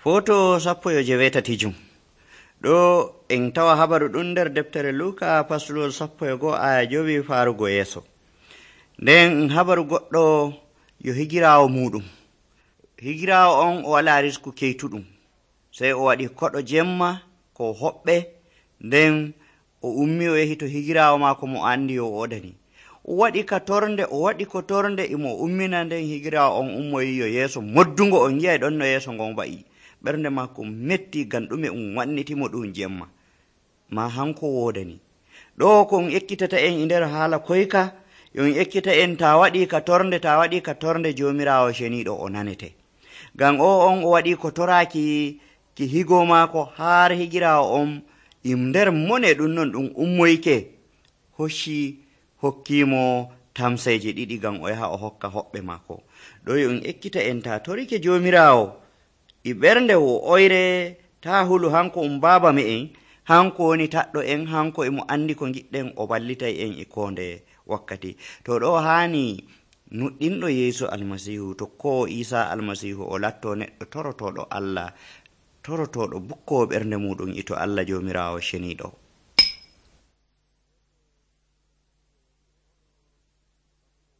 Foto 17 ɗo en tawa habaru ɗum nder deftere Luka pastolol 11 aya 5 faarugo yeeso. Nden habaru goɗɗo yo higiraawo muɗum. Higiraawo on o wala risku keytuɗum, sey o waɗi koɗo jemma ko hoɓɓe, nden o ummi o yehi to higiraawo maako mo andi o odani. O waɗi ka tornde imo ummina, nden higiraawo on ummoyi yo yeeso moddungo on yi'ay ɗon no yeeso ngon wa'i. Ɓernde maako metti ngam ɗume wannitimo ɗum jemma, ma hanko wodani. Ɗo ko ekkitata en nder haala koyka, yon ekkita en ta waɗi ka tornde jomirawo ceniɗo o nanete. Ngam on o waɗi ko toraki ki higo maako har higirawo on nder mone ɗum non ɗum ummoyke hokkimo tamseje 2 ngam o yaha o hokka hoɓɓe maako. Ɗo yon ekkita en ta torike jomirawo i ɓernde oyre, ta hulu hanko baba me'en, hanko woni taɗɗo en, hanko emo andi ko giɗɗen, o ballitay en konde wakkati. To ɗo hani nuɗɗinɗo Yeesu almasihu, tokkowo Isa almasihu, o latto neɗɗo torotoɗo Allah, torotoɗo bukkowo ɓernde muɗum ito Allah jomirawo ceniɗo.